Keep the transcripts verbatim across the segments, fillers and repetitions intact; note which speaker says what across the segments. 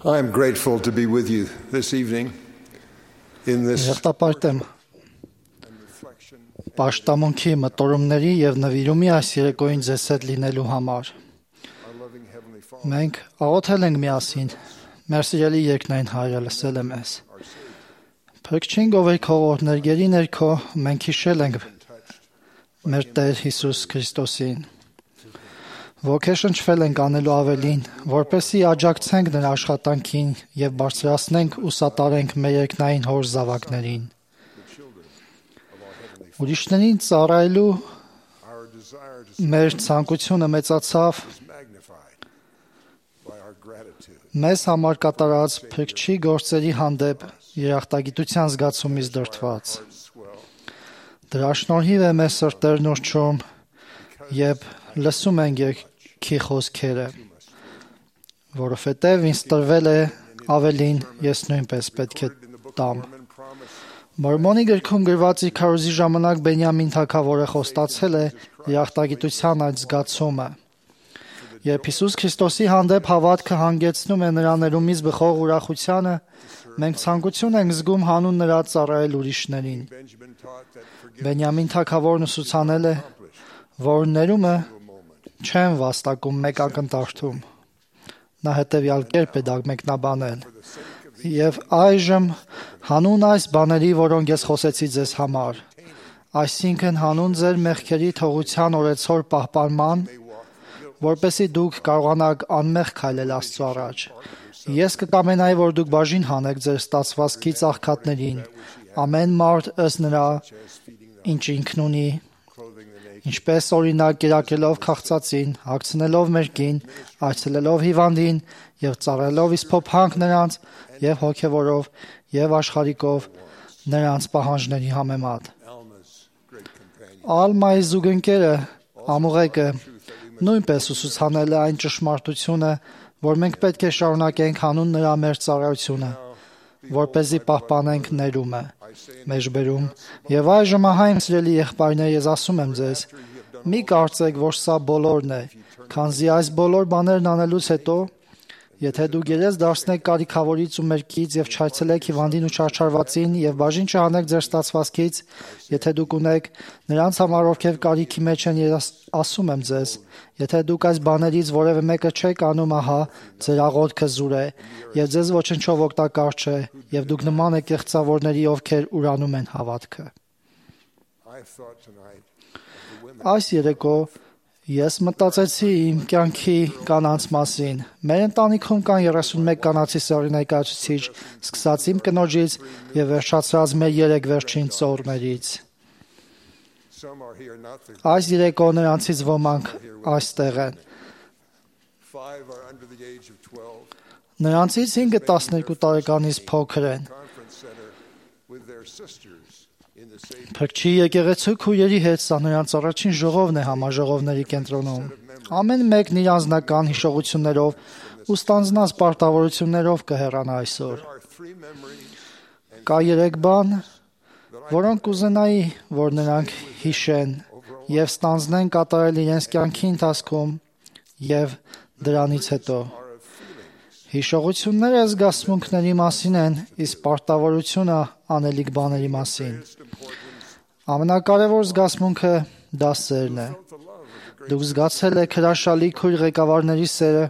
Speaker 1: I am grateful to be with you this evening in this
Speaker 2: Եղտապարտ եմ պաշտամունքի մտորումների և նվիրումի այս երեկոյին ձեզ հետ լինելու համար։ Մենք աղոթել ենք միասին, մեր սիրելի երկնային Հայրը լսել է մեզ։ Փրկչին գովեր քո օրհներգերի ներքո մենք հիշել ենք մեր Տեր Հիսուս Քրիստոսին։ Ոգեշնչվել ենք անելու ավելին, որպեսզի աջակցենք նրա աշխատանքին և բարձրացնենք ու սատարենք մեր երկնային Հոր զավակներին։ Ուրիշներին ծառայելու մեր ցանկությունը մեծացավ մեզ համար կատարած Փրկչի գործերի հանդեպ երախտագիտության զգացումից դրդված։ Դրա շնորհիվ է մեր սրտերն ուռչում և լսում ենք երգի խոսքերը, որովհետև ինձ տրվել է ավելին, ես նույնպես պետք է տամ։ Մորմոնի գրքում գրված իր քարոզի ժամանակ Բենյամին թագավորը խոստացել է երախտագիտության այդ զգացումը։ Երբ Հիսուս Քրիստոսի հանդեպ հավատքը հանգեցնում է նրա ներումից բխող ուրախությանը, մենք ցանկություն ենք զգում հանուն նրա ծառայել ուրիշներին։ Բենյամին թագավորն ուսուցանել է, որ ներումը չեն վաստակում մեկ ակնթարթում։ Նա հետևյալ կերպ է դա մեկնաբանել. «Եվ այժմ հանուն այս բաների, որոնք ես խոսեցի ձեզ համար, այսինքն հանուն ձեր մեղքերի թողության օրեցօր պահպանման, որպեսզի դուք կարողանաք անմեղ քայլել Աստծու առաջ, ես կկամենայի, որ դուք բաժին հանեք ձեր ստացվածքից աղքատներին, ամեն մարդ ըստ նրա, ինչ ինքն ունի, ինչպես օրինակ կերակրելով քաղցածին, հագցնելով մերկին, այցելելով հիվանդին և ծառայելով իսփոփանք նրանց և հոգևորով և աշխարհիկով նրանց պահանջների համեմատ»։ Ալմայի զուգընկերը Ամուղեկը նույնպես ուսուցանել է այն ճշմարտությունը, որ մենք պետք է շարունակենք հանուն նրա մեր ծառայությունը, որպեսզի պահպանենք ներումը մեջբերում։ Եվ այժմ ահա իմ սիրելի եղբայրներ, ես ասում եմ ձեզ, մի կարծեք, որ սա բոլորն է, քանզի այս բոլոր բաներն անելուց հետո, եթե դուք երես դարձնեք կարիքավորից ու մերկից և չայցելեք հիվանդին ու չարչարվածին և բաժին չհանեք ձեր ստացվածքից, եթե դուք ունեք նրանց համար, ովքեր կարիքի մեջ են, ես ասում եմ ձեզ, եթե դուք այս բաներից որևէ մեկը չեք անում, ահա ձեր աղոթքը զուր է և ձեզ ոչնչով օգտակար չէ, և դուք նման եք կեղծավորների, ովքեր ուրանում են հավատքը։ Այս երեկո ես մտածեցի իմ կյանքի կանանց մասին։ Մեր ընտանիքում կան երեսունմեկ կանացի սեռի ներկայացուցիչ, սկսած իմ կնոջից և վերջացրած մեր երեք վերջին ծոռներից։ Այս երեկո նրանցից ոմանք այստեղ են։ Նրանցից հինգը տասներկու տարեկանից փոքր են։ Փրկչի եկեղեցու քույրերի հետ սա նրանց առաջին ժողովն է համաժողովների կենտրոնում։ Ամեն մեկն իր անձնական հիշողություններով ու ստանձնած պարտավորություններով կհեռանա այսօր։ Կա երեք բան, որոնք կուզենայի, որ նրանք հիշեն և ստանձնեն կատարել իրենց կյանքի ընթացքում և դրանից հետո։ Հիշողությունները զգացմունքների մասին են, իսկ պարտավորությունը անելիք բաների մասին։ Ամենակարևոր զգացմունքը դա սերն է։ Դուք զգացել եք հրաշալի քույր ղեկավարների սերը,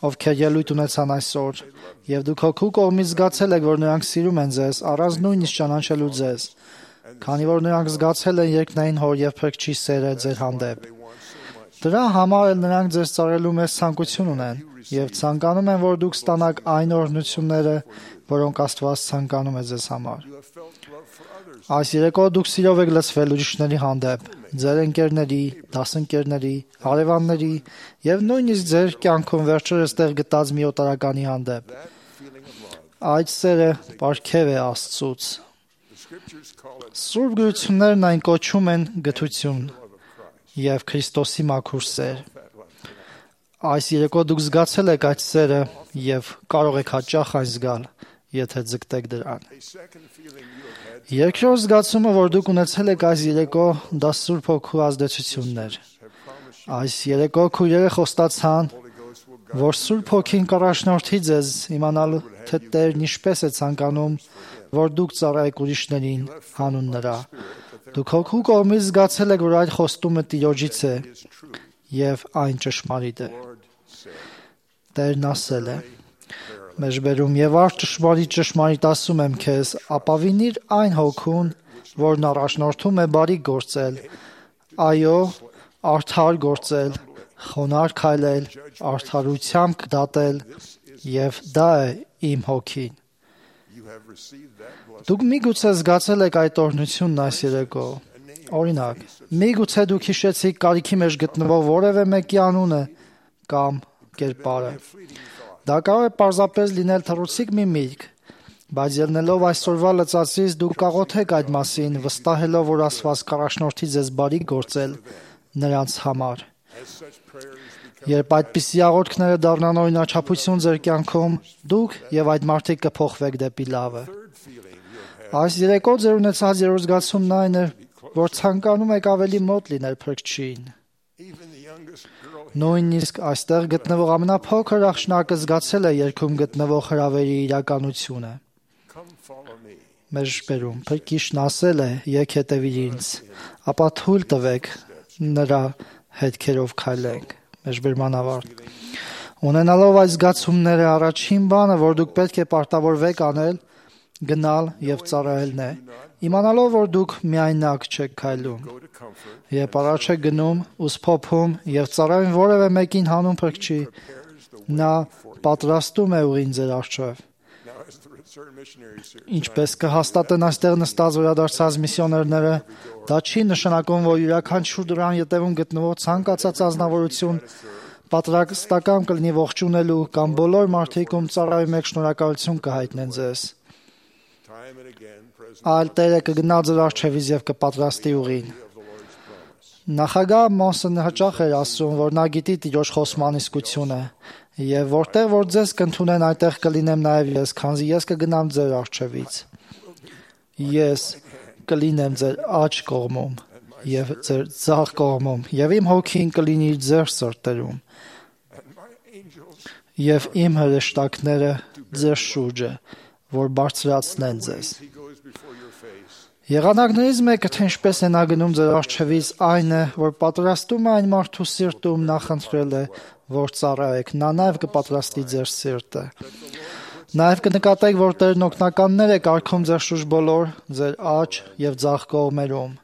Speaker 2: ովքեր ելույթ ունեցան այսօր, և դուք հոգու կողմից զգացել եք, որ նրանք սիրում են ձեզ, առանց նույնիսկ ճանաչելու ձեզ, քանի որ նրանք զգացել են երկնային Հոր և Փրկչի սերը ձեր հանդեպ։ Դրա համար էլ նրանք ձեզ ծառայելու մեծ ցանկություն ունեն և ցանկանում են, որ դուք ստանաք այն օրհնությունները, որոնք Աստված ցանկանում է ձեզ համար։ Այս երեկո դուք սիրով եք լցվել ուրիշների հանդեպ, ձեր ընկերների, դասընկերների, հարևանների և նույնիսկ ձեր կյանքում վերջերս տեղ գտած մի օտարականի հանդեպ։ Այդ սերը պարգև է Աստծուց։ Սուրբ գրություններն այն կոչում են գթություն և Քրիստոսի մաքուր սեր։ Այս երեկո դուք զգացել եք այդ սերը և կարող եք հաճախ այն զգալ, եթե ձգտեք դրան։ Երկրորդ զգացումը, որ դուք ունեցել եք այս երեկո, դա Սուրբ Հոգու ազդեցությունն էր։ Այս երեկո քույրերը խոստացան, որ Սուրբ Հոգին կառաջնորդի ձեզ իմանալու թե Տերն ինչպես է ցանկանում, որ դուք ծառայեք ուրիշներին հանուն նրա։ Դուք Հոգու կողմից զգացել եք, որ այդ խոստումը Տիրոջից է եւ այն ճշմարիտ է։ Տերն ասել է. Մեջբերում եւ արդ ճշմարիտ ճշմարիտ ասում եմ քեզ, ապավինիր այն Հոգուն, որն առաջնորդում է բարի գործել, այո, արդար գործել, խոնարհ քայլել, արդարությամբ դատել, եւ դա է իմ Հոգին։ Դուք միգուցե զգացել եք այդ օրհնությունն այս երեկո։ Օրինակ, միգուցե դուք հիշեցիք կարիքի մեջ գտնվող որևէ մեկի անունը կամ կերպարը։ Դա կարող է պարզապես լինել թռուցիկ մի միտք, բայց ելնելով այսօրվա լծածից դուք կաղոթեք այդ մասին, վստահելով, որ Աստված կառաջնորդի ձեզ բարի գործել նրանց համար։ Երբ այդպիսի աղոթքները դառնան օրինաչափություն ձեր կյանքում, դուք եւ այդ մարդիկ կփոխվեք դեպի լավը։ Այս երեկո ձեր ունեցած երրորդ զգացումն այն է, որ ցանկանում եք ավելի մոտ լինել Փրկչին։ Նույնիսկ այստեղ գտնվող ամենափոքր աղջնակը զգացել է երգում գտնվող հրավերի իրականությունը։ Մեջբերում Փրկիչն ասել է. «Եկ հետևիր ինձ», ապա թույլ տվեք նրա հետքերով քայլենք։ Մեջբերման ավարտ։ Ունենալով այս զգացումները, առաջին բանը, որ դուք պետք է պարտավորվեք անել, գնալ եւ ծառայելն է, իմանալով, որ դուք միայնակ չեք քայլում։ Երբ առաջ եք գնում, ուսփոփում եւ ծառայում որևէ մեկին հանուն Փրկչի, նա պատրաստում է ուղին ձեր առջև։ Ինչպես կհաստատեն այստեղ նստած վերադարձած միսիոներները, դա չի նշանակում, որ յուրաքանչյուր դրան ետևում գտնվող ցանկացած ազնվորություն պատրաստական կլինի ողջունելու կամ բոլոր մարդիկ, ում ծառայում եք, շնորհակալություն կհայտնեն ձեզ։ Այլ Տերը կգնա ձեր առջևից եւ կպատրաստի ուղին։ Նախագահ Մոնսոնը հաճախ էր ասում, որ նա գիտի Տիրոջ խոսման իսկությունը, եւ որտեղ որ ձեզ կընդունեն, այնտեղ կլինեմ նաեւ ես, քանզի ես կգնամ ձեր առջևից։ Ես կլինեմ ձեր աջ կողմում եւ ձեր ձախ կողմում, եւ իմ Հոգին կլինի ձեր սրտերում, եւ իմ հրեշտակները ձեր շուրջը, որ բարձրացնեն ձեզ։ Եղանակներից մեկը, թե ինչպես է նա գնում ձեր առջևից, այն է, որ պատրաստում է այն մարդու սիրտում նախընտրել է, որ ծառայեք, նա նաև կպատրաստի ձեր սիրտը։ Նաև կնկատեք, որ Տերն օգնականներ է կարգում ձեր շուրջ բոլոր, ձեր աջ եւ ձախ կողմերում։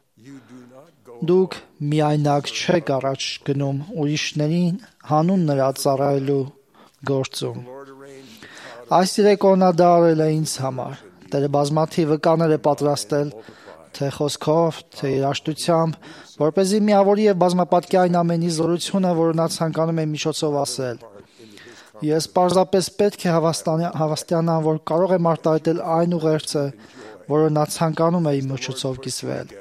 Speaker 2: Դուք միայնակ չեք առաջ գնում ուրիշներին հանուն նրա ծառայելու գործում։ Այս երեկո նա դա արել է ինձ համար։ Տերը բազմաթիվ վկաներ է պատրաստել, թե խոսքով, թե երաժշտությամբ, որպեսզի միավորի եւ բազմապատկի այն ամենի զորությունը, որը նա ցանկանում է միջոցով ասել։ Ես պարզապես պետք է հավաստիանամ, որ կարող եմ արտահայտել այն ուղերձը, որը նա ցանկանում է իմ միջոցով կիսվել։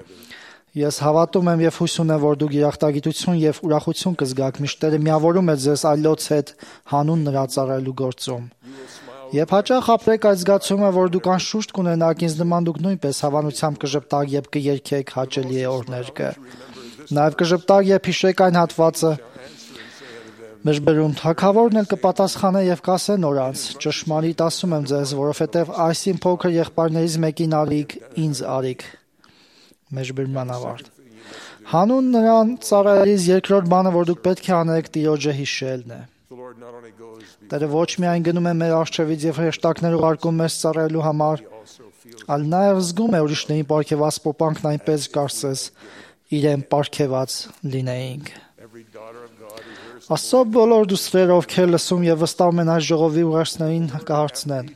Speaker 2: Ես հավատում եմ եւ հույս ունեմ, որ դուք երախտագիտություն եւ ուրախություն կզգաք, միշտ Տերը միավորում է ձեզ այլոց հետ հանուն նրա ծառայելու գործում։ Եվ հաճախ ապրեք այդ զգացումը, որ դուք անշուշտ կունենաք, ինձ նման դուք նույնպես հավանությամբ կժպտաք եւ կերգեք հաճելի է օրներկը։ Նաեւ կժպտաք եւ հիշեք այն հատվածը, մեջբերում թագավորն էլ կպատասխանե եւ կասե նորանց. ճշմարիտ ասում եմ ձեզ, որովհետեւ այսին փոքր եղբայրներից մեկին արիք, ինձ արիք։ Մեջբերման ավարտ։ Հանուն նրան ծառայելիս երկրորդ բանը, որ դուք պետք է անեք, Տիրոջը հիշելն է։ Տերը ոչ միայն գնում է մեր առջևից եւ հրեշտակներ ուղարկում մեզ ծառայելու համար, այլ նաեւ զգում է ուրիշներին պարգևած պոպանքն այնպես կարծես իրեն պարգևած լինեինք։ Աստծո բոլոր դուստրերը, ովքեր լսում եւ վստահում են այս ժողովի ուղերձներին, կհարցնեն.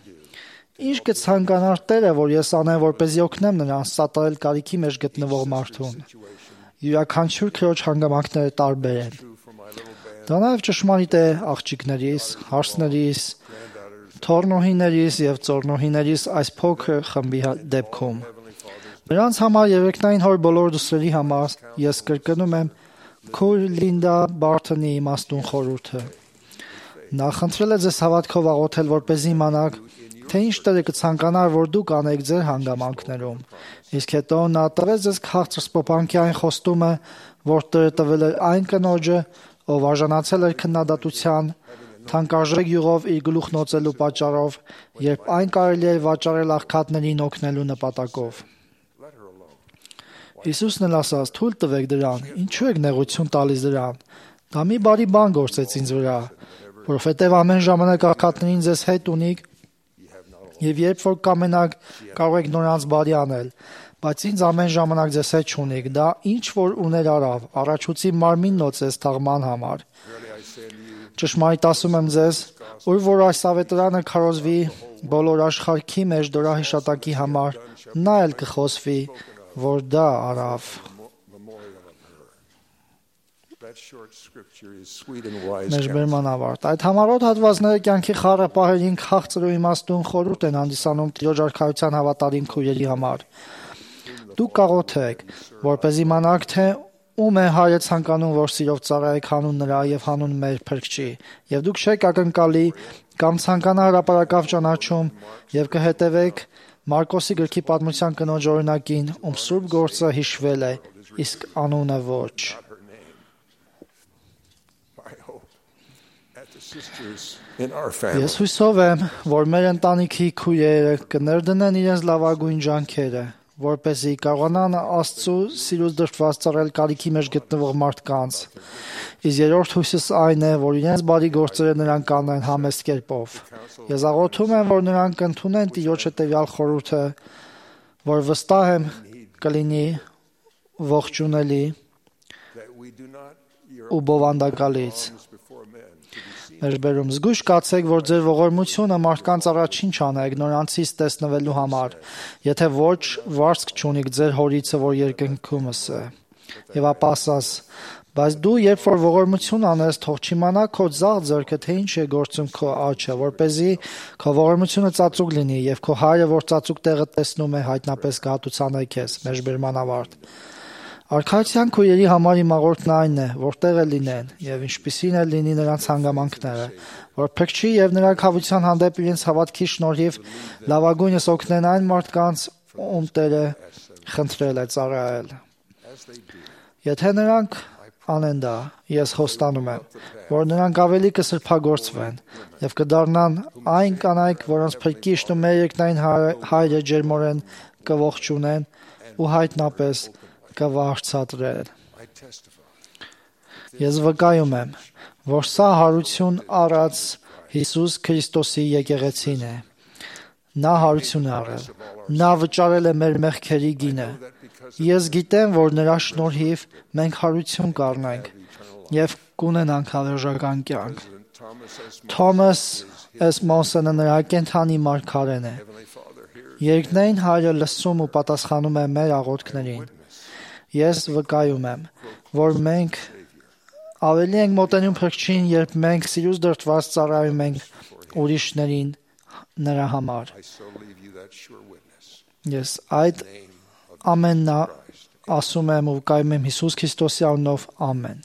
Speaker 2: Ինչ կցանկանար Տերը, որ ես անեմ, որպեսզի օգնեմ նրան սատարել կարիքի մեջ գտնվող մարդուն։ Յուրաքանչյուր քրոջ հանգամանքները տարբեր են։ Դա նաև ճշմարիտ է աղջիկներիս, հարսներիս, թոռնոհիներիս եւ ծոռնոհիներիս այս փոքր խմբի դեպքում։ Նրանց համար երեքնային հոր բոլոր դուստրերի համար ես կրկնում եմ Քույր Լինդա Բարթոնի իմաստուն խորհուրդը։ Նա խնդրել է ձեզ հավատքով աղոթել, որպեսզի իմանաք, թե ինչ Տերը կցանկանար, որ դուք անեք ձեր հանգամանքներում։ Իսկ հետո նա տվեց ձեզ քաղցր սփոփանքի այն խոստումը, որ Տերը տվել էր այն կնոջը, ով արժանացել էր քննադատության, թանկարժեք յուղով իր գլուխն օծելու պատճառով, երբ այն կարելի է վաճառել աղքատներին օգնելու նպատակով։ Հիսուսն էլ ասաց. «Թույլ տվեք դրան, ինչու եք նեղություն տալիս դրան։ Դա մի բարի բան գործեց ինձ վրա, որովհետև ամեն ժամանակ աղքատներին ձեզ հետ ունիք, եւ երբ որ կամենաք, կարող եք նրանց բարի անել, բայց ինձ ամեն ժամանակ ձեզ հետ չունիք։ Դա ինչ որ ուներ արավ, առաջուցի մարմինն օծեց թաղման համար։ Ճշմարիտ ասում եմ ձեզ, ուր որ այս ավետարանը քարոզվի բոլոր աշխարհքի մեջ դորահիշատակի համար, նա էլ կխոսվի, որ դա արավ»։ Մեջբերման ավարտ։ Այդ համառոտ հատվածները կյանքի խառը պահերին քաղցր ու իմաստուն խորհուրդ են հանդիսանում Տիրոջ արքայության հավատարիմ քույրերի համար։ Դուք կաղոթեք, որպեսզի իմանաք, թե ում է Հայրը ցանկանում, որ սիրով ծառայեք հանուն նրա եւ հանուն մեր Փրկչի, եւ դուք չեք ակնկալի կամ ցանկանա հրապարակավ ճանաչում եւ կհետևեք Մարկոսի գրքի պատմության կնոջ օրինակին, ում սուրբ գործը հիշվել է, իսկ անունը ոչ։ Ես հույսով եմ, որ մեր ընտանիքի քույրերը կներդնեն իրենց լավագույն ջանքերը, որպեսզի կարողանան Աստծու սիրուց դրդված ծառայել կարիքի մեջ գտնվող մարդկանց։ Իսկ երրորդ հույսս այն է, որ իրենց բարի գործերը նրանք կանեն համեստ կերպով։ Ես աղոթում եմ, որ նրանք կընդունեն Տիրոջ հետևյալ խորհուրդը, որ վստահ եմ կլինի ողջունելի ու բովանդակալից։ Մեջբերում զգույշ կացեք, որ ձեր ողորմությունը մարդկանց առաջ ինչ անեք նորանցից տեսնվելու համար, եթե ոչ վարձք չունիք ձեր հորիցը, որ երկնքումս է։ Եվ ապա ասաս. բայց դու երբ որ ողորմություն անես, թող չիմանա քո ձախ ձեռքը, թե ինչ է գործում քո աչքը, որպեսզի քո ողորմությունը ծածուկ լինի, եւ քո Հայրը, որ ծածուկ տեղը տեսնում է, հայտնապես կհատուցանե քեզ։ Մեջբերման ավարտ։ Արքայության քույրերի համար իմ աղոթքն այն է, որ տեղը լինեն, եւ ինչպիսին էլ լինի նրանց հանգամանքները, որ Փրկչի եւ նրա քավության հանդեպ իրենց հավատքի շնորհիվ լավագույնս օգնեն այն մարդկանց, ում Տերը խնդրել է ծառայել։ Եթե նրանք անեն դա, ես խոստանում եմ, որ նրանք ավելի կսրբագործվեն եւ կդառնան այն կանայք, որոնց Փրկիչն ու մեր երկնային Հայրը ջերմորեն կողջունեն ու հայտնապես կվարձատրել։ Ես վկայում եմ, որ սա հարություն առած Հիսուս Քրիստոսի եկեղեցին է։ Նա հարություն է առել։ Նա վճարել է մեր մեղքերի գինը։ Ես գիտեմ, որ նրա շնորհիվ մենք հարություն կառնանք եւ կունենանք հավերժական կյանք։ Թոմաս Էսմոսը նրա կենթանի մարգարեն է։ Երկնային Հայրը լսում ու պատասխանում է մեր աղոթքներին։ Ես վկայում եմ, որ մենք ավելի ենք մոտենում Փրկչին, երբ մենք սիրուց դրդված ծառայում ենք ուրիշներին նրա համար։ Ես այդ ամենն ասում եմ ու վկայում եմ Հիսուս Քրիստոսի անունով, ամեն։